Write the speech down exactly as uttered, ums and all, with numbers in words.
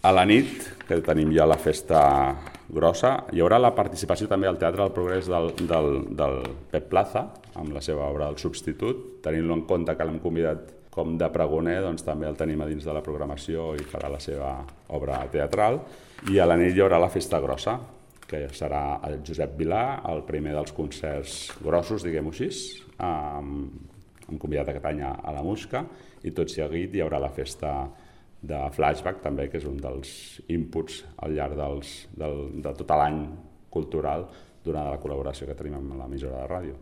A la nit, que tenim ja la festa grossa, hi haurà la participació també al Teatre del Progrés del, del, del Pep Plaza, amb la seva obra El Substitut. Tenint-lo en compte que l'hem convidat com de pregoner, doncs també el tenim a dins de la programació i farà la seva obra teatral. I a la nit hi haurà la festa grossa, que serà el Josep Vilà, el primer dels concerts grossos, diguem-ho així. Um, hem convidat aquest any a la Musca i tot seguit hi haurà la festa de Flashback també, que és un dels inputs al llarg dels, del, de tot l'any cultural durant la col·laboració que tenim amb l'emissora de ràdio.